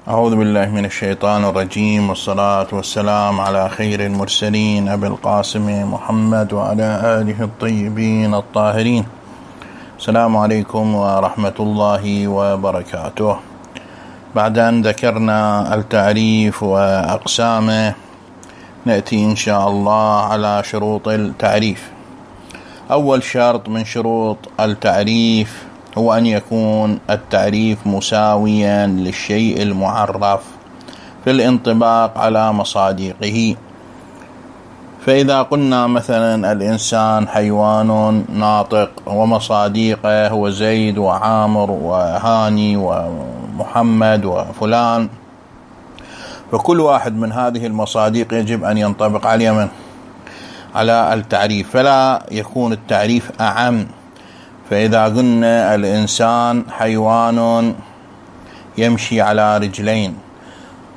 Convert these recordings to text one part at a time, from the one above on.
أعوذ بالله من الشيطان الرجيم، والصلاة والسلام على خير المرسلين أبي القاسم محمد وعلى آله الطيبين الطاهرين. السلام عليكم ورحمة الله وبركاته. بعد أن ذكرنا التعريف وأقسامه، نأتي إن شاء الله على شروط التعريف. أول شرط من شروط التعريف هو أن يكون التعريف مساويا للشيء المعرف في الانطباق على مصادقه. فإذا قلنا مثلا الإنسان حيوان ناطق ومصادقه هو زيد وعامر وهاني ومحمد وفلان، فكل واحد من هذه المصادق يجب أن ينطبق على من؟ على التعريف، فلا يكون التعريف أعم. فإذا قلنا الإنسان حيوان يمشي على رجلين،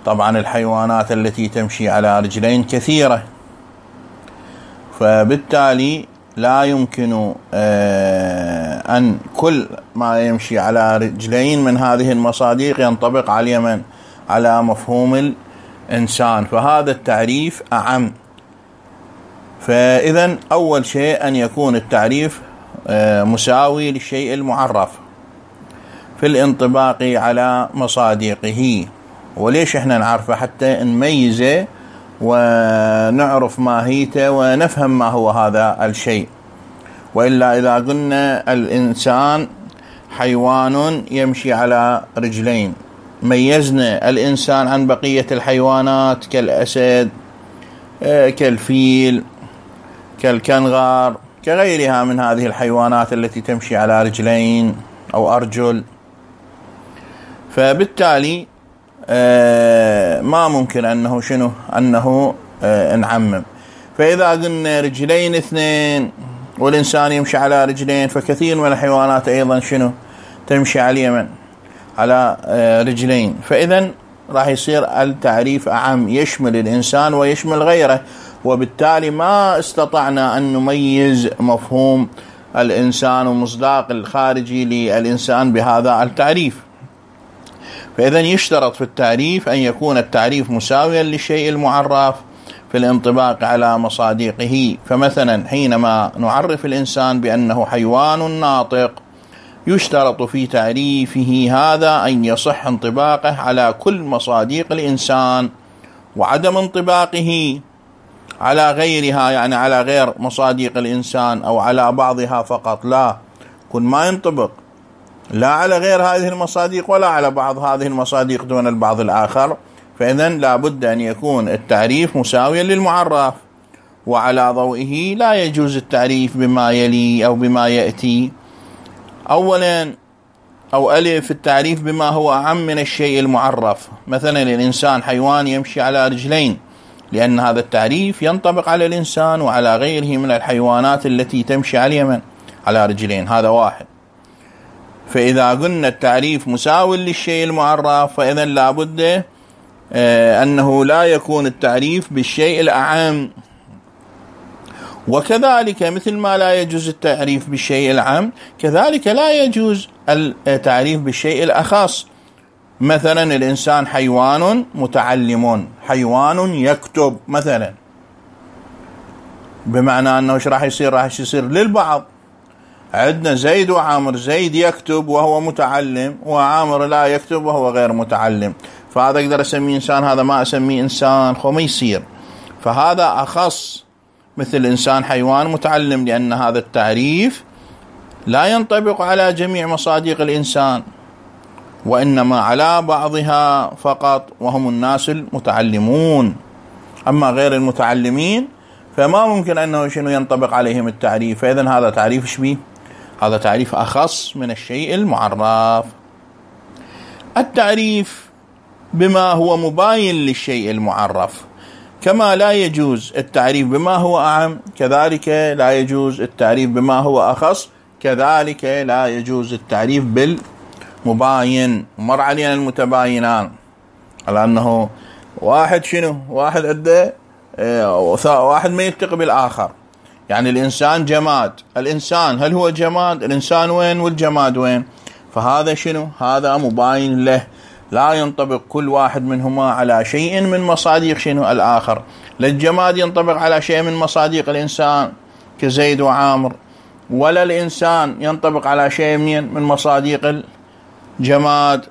طبعا الحيوانات التي تمشي على رجلين كثيرة، فبالتالي لا يمكن أن كل ما يمشي على رجلين من هذه المصادق ينطبق على من؟ على مفهوم الإنسان، فهذا التعريف أعم. فإذا أول شيء أن يكون التعريف مساوي للشيء المعرف في الانطباق على مصادقه. وليش احنا نعرفه؟ حتى نميزه ونعرف ماهيته ونفهم ما هو هذا الشيء. وإلا إذا قلنا الإنسان حيوان يمشي على رجلين، ميزنا الإنسان عن بقية الحيوانات كالأسد، كالفيل، كالكنغر، كغيرها من هذه الحيوانات التي تمشي على رجلين أو أرجل. فبالتالي ما ممكن أنه شنو؟ أنه نعمم. فإذا قلنا رجلين اثنين والإنسان يمشي على رجلين، فكثير من الحيوانات أيضا شنو؟ تمشي على اليمن على رجلين. فإذا راح يصير التعريف أعم، يشمل الإنسان ويشمل غيره، وبالتالي ما استطعنا أن نميز مفهوم الإنسان ومصداق الخارجي للإنسان بهذا التعريف. فإذا يشترط في التعريف أن يكون التعريف مساويا للشيء المعرف في الانطباق على مصادقه. فمثلا حينما نعرف الإنسان بأنه حيوان ناطق، يشترط في تعريفه هذا أن يصح انطباقه على كل مصادق الإنسان، وعدم انطباقه على غيرها، يعني على غير مصادق الإنسان أو على بعضها فقط، لا، كل ما ينطبق لا على غير هذه المصادق ولا على بعض هذه المصادق دون البعض الآخر. فإذا لا بد أن يكون التعريف مساويا للمعرف، وعلى ضوئه لا يجوز التعريف بما يلي أو بما يأتي. أولا أو ألف، التعريف بما هو أعم من الشيء المعرف. مثلا الإنسان حيوان يمشي على رجلين، لأن هذا التعريف ينطبق على الإنسان وعلى غيره من الحيوانات التي تمشي على اليمن على رجلين، هذا واحد. فإذا قلنا التعريف مساو للشيء المعرف، فإذا لابد أنه لا يكون التعريف بالشيء الأعم. وكذلك مثل ما لا يجوز التعريف بالشيء العام، كذلك لا يجوز التعريف بالشيء الأخص. مثلا الإنسان حيوان متعلم، حيوان يكتب مثلا، بمعنى أنه إيش راح يصير؟ راح يصير للبعض. عندنا زيد وعامر، زيد يكتب وهو متعلم، وعامر لا يكتب وهو غير متعلم، فهذا أقدر أسميه إنسان، هذا ما أسميه إنسان، خو ما يصير. فهذا أخص، مثل إنسان حيوان متعلم، لأن هذا التعريف لا ينطبق على جميع مصادق الإنسان، وإنما على بعضها فقط، وهم الناس المتعلمون. أما غير المتعلمين فما ممكن أنه شنو ينطبق عليهم التعريف. فإذن هذا تعريف شبيه، هذا تعريف أخص من الشيء المعرف. التعريف بما هو مباين للشيء المعرف، كما لا يجوز التعريف بما هو أعم، كذلك لا يجوز التعريف بما هو أخص، كذلك لا يجوز التعريف بالمباين. مر علينا المتباينان على أنه واحد شنو؟ واحد عنده واحد ما يلتقي بالآخر. يعني الإنسان جماد، الإنسان هل هو جماد؟ الإنسان وين والجماد وين؟ فهذا شنو؟ هذا مباين له، لا ينطبق كل واحد منهما على شيء من مصاديق شنو؟ الآخر. لا الجماد ينطبق على شيء من مصاديق الإنسان كزيد وعامر، ولا الإنسان ينطبق على شيء من مصاديق الجماد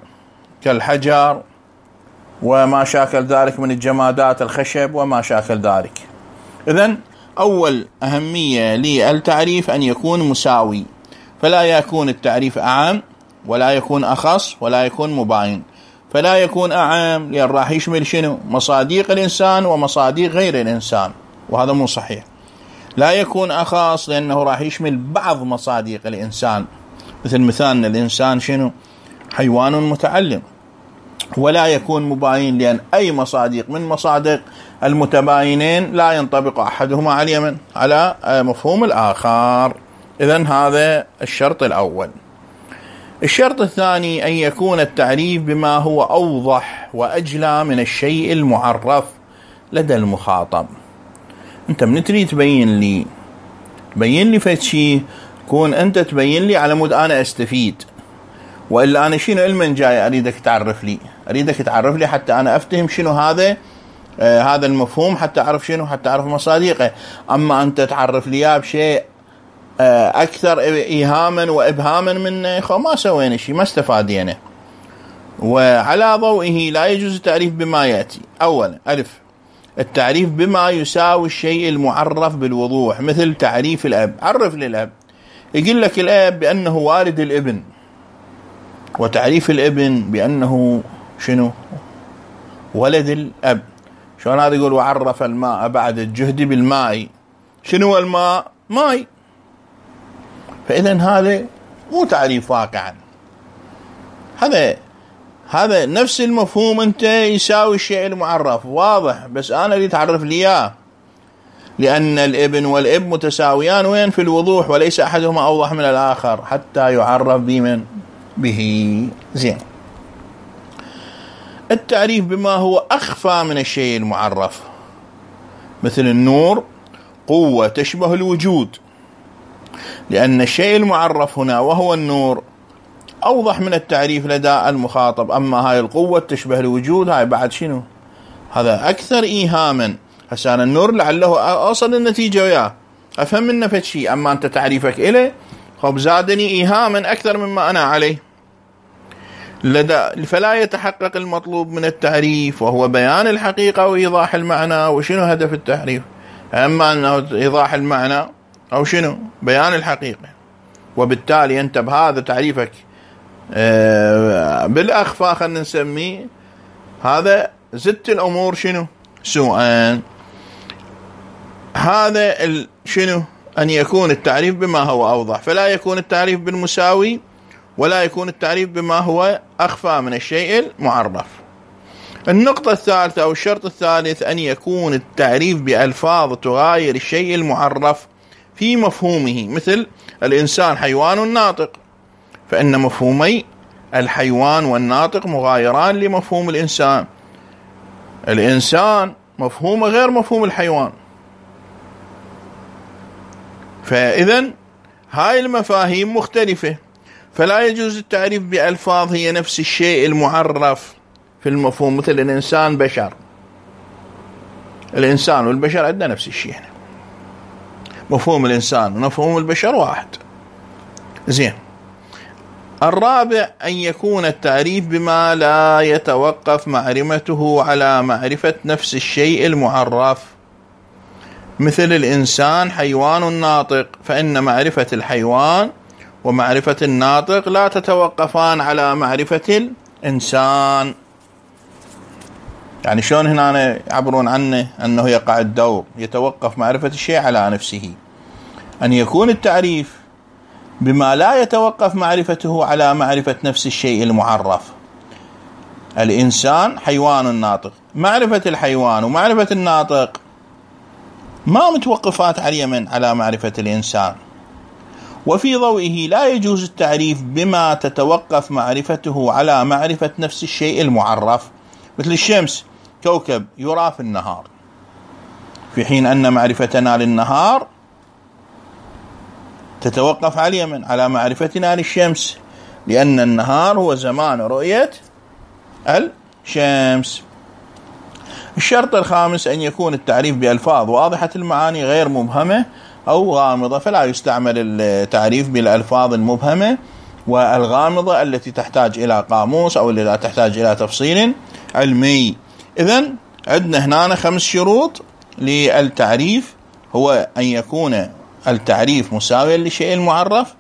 كالحجر وما شاكل ذلك من الجمادات، الخشب وما شاكل ذلك. إذن أول أهمية للتعريف أن يكون مساوي، فلا يكون التعريف أعم ولا يكون أخص ولا يكون مباين. فلا يكون أعم لأن راح يشمل شنو؟ مصاديق الإنسان ومصاديق غير الإنسان، وهذا مو صحيح. لا يكون أخص لأنه راح يشمل بعض مصاديق الإنسان، مثل مثالنا الإنسان شنو؟ حيوان متعلم. ولا يكون مباين لأن أي مصاديق من مصادق المتباينين لا ينطبق أحدهما على اليمن على مفهوم الآخر. إذن هذا الشرط الأول. الشرط الثاني أن يكون التعريف بما هو أوضح وأجلى من الشيء المعرف لدى المخاطب. أنت من تريد تبين لي فد شيء، كون أنت تبين لي على مود أنا أستفيد، وإلا أنا شنو المن جاي أريدك تعرف لي؟ أريدك تعرف لي حتى أنا أفتهم شنو هذا هذا المفهوم، حتى أعرف شنو، حتى أعرف مصادقه. أما أنت تعرف لي بشيء أكثر إيهاما وإبهاما منه، ما سوينا شيء، ما استفادينا. وعلى ضوئه لا يجوز التعريف بما يأتي. أولا، ألف، التعريف بما يساوي الشيء المعرف بالوضوح، مثل تعريف الأب. عرف للأب، يقول لك الأب بأنه والد الابن، وتعريف الابن بأنه شنو؟ ولد الأب. شلون هذا يقول وعرف الماء بعد الجهد بالماء؟ شنو الماء؟ ماء. فإذا هذا مو تعريف واقعا، هذا نفس المفهوم، أنت يساوي الشيء المعرف، واضح، بس أنا اللي تعرف لي إياه، لأن الابن والاب متساويان وين؟ في الوضوح، وليس أحدهما أوضح من الآخر حتى يعرف بمن؟ به. زين. التعريف بما هو أخفى من الشيء المعرف، مثل النور قوة تشبه الوجود، لأن الشيء المعرف هنا وهو النور أوضح من التعريف لدى المخاطب. أما هاي القوة تشبه الوجود، هاي بعد شنو؟ هذا أكثر إيهاما. هسه أنا النور لعله أوصل النتيجة وياه، أفهم منه فد شيء، أما أنت تعريفك إليه خب زادني إيهاما أكثر مما أنا عليه. فلا يتحقق المطلوب من التعريف، وهو بيان الحقيقة وإيضاح المعنى. وشنو هدف التعريف؟ أما أنه إيضاح المعنى أو شنو؟ بيان الحقيقة. وبالتالي أنت بهذا تعريفك بالأخفاء خلينا نسميه، هذا زدت الأمور شنو؟ سوءا. هذا شنو؟ أن يكون التعريف بما هو أوضح، فلا يكون التعريف بالمساوي ولا يكون التعريف بما هو أخفى من الشيء المعرف. النقطة الثالثة أو الشرط الثالث أن يكون التعريف بألفاظ تغاير الشيء المعرف في مفهومه، مثل الإنسان حيوان ناطق، فإن مفهومي الحيوان والناطق مغايران لمفهوم الإنسان. الإنسان مفهومه غير مفهوم الحيوان، فإذن هاي المفاهيم مختلفة، فلا يجوز التعريف بألفاظ هي نفس الشيء المعرف في المفهوم، مثل الإنسان بشر. الإنسان والبشر عندنا نفس الشيء، هنا مفهوم الإنسان ومفهوم البشر واحد. زين. الرابع أن يكون التعريف بما لا يتوقف معرفته على معرفة نفس الشيء المعرف، مثل الإنسان حيوان ناطق، فإن معرفة الحيوان ومعرفة الناطق لا تتوقفان على معرفة الإنسان. يعني شلون هنا يعبرون عنه أنه يقع الدور، يتوقف معرفة الشيء على نفسه. أن يكون التعريف بما لا يتوقف معرفته على معرفة نفس الشيء المعرف. الإنسان حيوان ناطق، معرفة الحيوان ومعرفة الناطق ما متوقفات على من؟ على معرفة الإنسان. وفي ضوئه لا يجوز التعريف بما تتوقف معرفته على معرفة نفس الشيء المعرف، مثل الشمس كوكب يرى في النهار، في حين أن معرفتنا للنهار تتوقف على من؟ على معرفتنا للشمس، لأن النهار هو زمان رؤية الشمس. الشرط الخامس أن يكون التعريف بألفاظ واضحة المعاني غير مبهمة أو غامضة، فلا يستعمل التعريف بالألفاظ المبهمة والغامضة التي تحتاج إلى قاموس أو التي لا تحتاج إلى تفصيل علمي. إذن عندنا هنا 5 شروط للتعريف، هو أن يكون التعريف مساويا لشيء المعرف،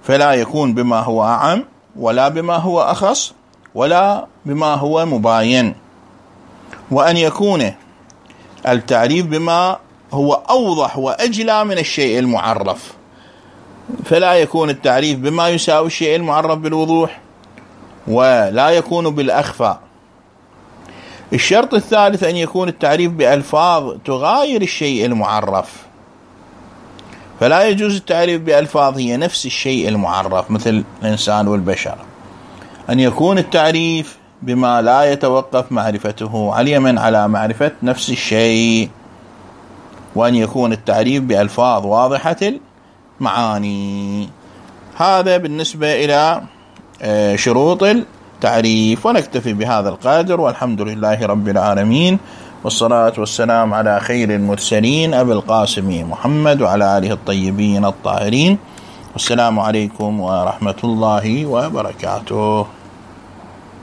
فلا يكون بما هو أعم ولا بما هو أخص ولا بما هو مباين، وأن يكون التعريف بما هو أوضح وأجلى من الشيء المعرف، فلا يكون التعريف بما يساوي الشيء المعرف بالوضوح ولا يكون بالأخفى. الشرط الثالث أن يكون التعريف بألفاظ تغاير الشيء المعرف، فلا يجوز التعريف بألفاظ هي نفس الشيء المعرف مثل الإنسان والبشر. أن يكون التعريف بما لا يتوقف معرفته عليما على معرفة نفس الشيء، وأن يكون التعريف بألفاظ واضحة المعاني. هذا بالنسبة إلى شروط التعريف، ونكتفي بهذا القدر، والحمد لله رب العالمين، والصلاة والسلام على خير المرسلين أبي القاسم محمد وعلى آله الطيبين الطاهرين، والسلام عليكم ورحمة الله وبركاته.